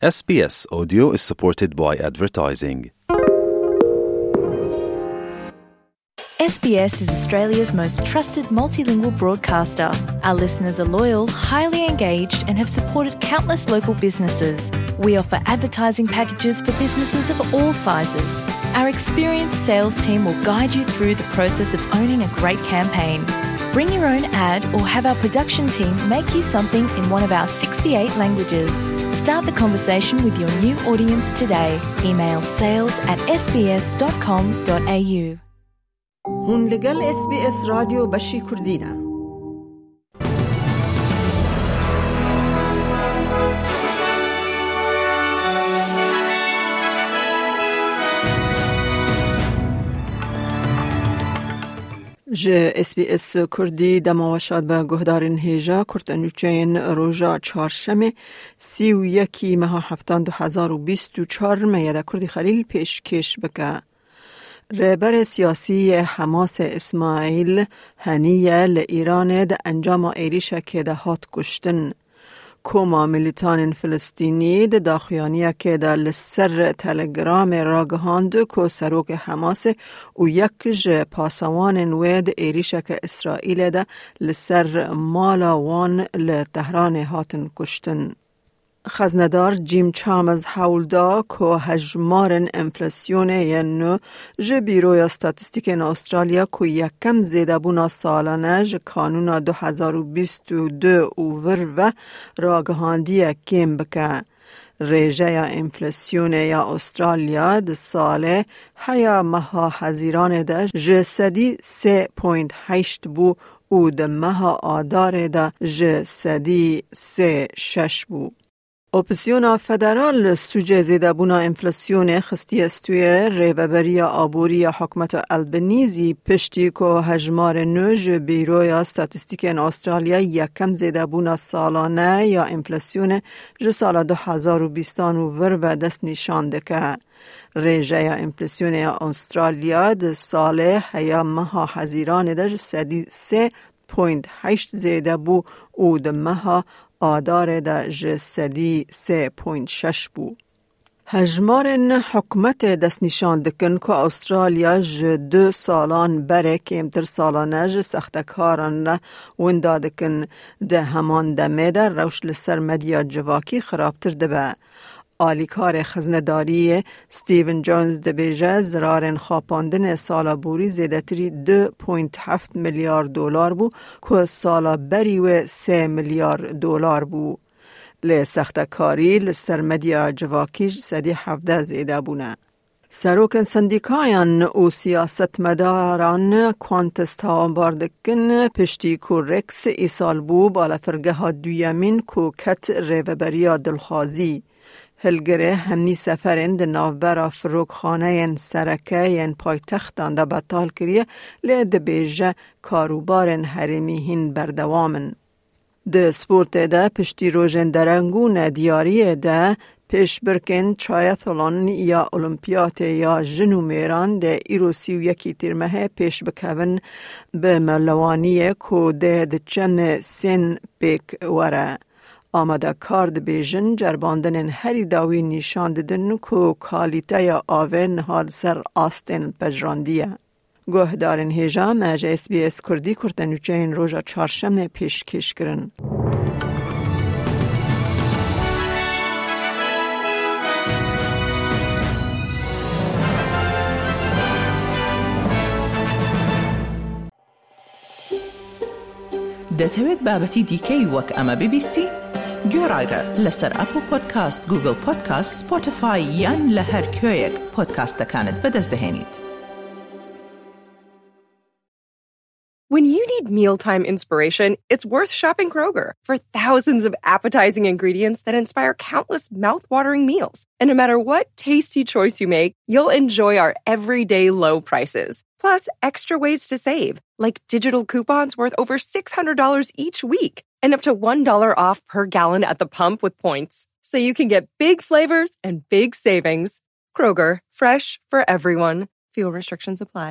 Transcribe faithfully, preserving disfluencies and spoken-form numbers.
S B S Audio is supported by advertising. S B S is Australia's most trusted multilingual broadcaster. Our listeners are loyal, highly engaged, and have supported countless local businesses. We offer advertising packages for businesses of all sizes. Our experienced sales team will guide you through the process of owning a great campaign. Bring your own ad or have our production team make you something in one of our sixty-eight languages. Start the conversation with your new audience today. Email sales at S B S dot com dot A U. Hûn li gel S B S Radyo Beşî Kurdî ne. Ji S B S Kurdî dema we şad be guhdarên hêja, kurte nûçeyên roja çarşemê, sî û yekî meha heftan du hezar û bîst û çar me ye de Kurdî Xelîl pêşkêş bike. Rêberê siyasî yê Hemasê Îsmaîl Henîye li Îranê di encama êrîşekê de hat kuştin. Koma milîtanên Filistînî di daxuyaniyekê de li ser Telegramê ragihand ku serokê Hemasê û yek ji pasewanên wê di êrîşeke Îsraîlê de li ser mala wan li Tehranê hatin kuştin. Xeznedar Jim Chalmers hewl da ku hejmarên enflasyonê yên nû ji Bîroya Statîstîkên Astralya ku yekem zêdebûna salane ji kanûna du hezar û bîst û du û vir ve ragihandiye kêm bike. Rêjeya enflasyonê ya Astralya di salê heya meha Hezîranê de ji sedî sê point heşt bû û di meha Adarê de ji sedî sê şeş bû. Opsiyona federal sûcê zêdebûna enflasyonê xistiye stûyê. Rêveberiya aborî ya hikûmeta Albanîzî piştî ku hejmarê nû ji Bîroya Statîstîkên Astralya yekem zêdebûna salane ya enflasyonê ji sala du hezar û bîstan û vir ve dest nîşan dike. Rêjeya enflasyonê ya Astralya di salê heya meha Hezîranê de ji sedî sê point heşt zêde bû û di meha Adarê de ji sedî sê point şeş bû. Hejmarên hikûmetê destnîşan dikin ku Astralya ji du salan berê kêmtir salane ji sextekaran re winda dikin. Di heman demê de rewş li ser medya civakî xirabtir dibe. Alîkarê xiznedariyê Stephen Jones dibêje, zirarên xapandinê sala borî zêdetirî du point heft milyar dolar bû, ku sala berî wê sê milyar dolar bû. Lê sextekarî li ser medya civakî ji sedî hevdeh zêde bûne. Serokên sendîkayan û siyasetmedaran Qantas tawanbar dikin, piştî ku Rex îsal bû balafirgeha duyemîn ku ket rêveberiya dilxwazî. Hilgirê hemî seferên di navbera firokxaneyên sereke yên paytextan de betal kiriye, lê dibêje karûbarên herêmî hîn berdewam in. Di sportê de piştî rojên dereng û nediyariyê de pêşbirkên triathlon ya Olimpiyatê ya jin û mêran dê îro sî û yekî Tîrmehê pêş bikevin bi melewaniyê ku dê di çemê Sên pêk were. Amadekar dibêjin, ceribandinên herî dawî nîşan didin ku kalîteya avê niha li ser astên pejirandî ye. Guhdarên hêja, me ji S B S Kurdî kurtenûçeyên roja çarşemê pêşkêş kirin. دەتەوێت بابەتی دیکەی وەک ئەمە ببیستی؟ گوێڕایرە لەسەر ئەپڵ پۆدکاست، گوگڵ پۆدکاست، سپۆتیفای یان لە هەر کوێیەک پۆدکاستەکانت بەدەست دەهێنیت. When you need mealtime inspiration, it's worth shopping Kroger for thousands of appetizing ingredients that inspire countless mouth-watering meals. And no matter what tasty choice you make, you'll enjoy our everyday low prices, plus extra ways to save, like digital coupons worth over six hundred dollars each week and up to one dollar off per gallon at the pump with points. So you can get big flavors and big savings. Kroger, fresh for everyone. Fuel restrictions apply.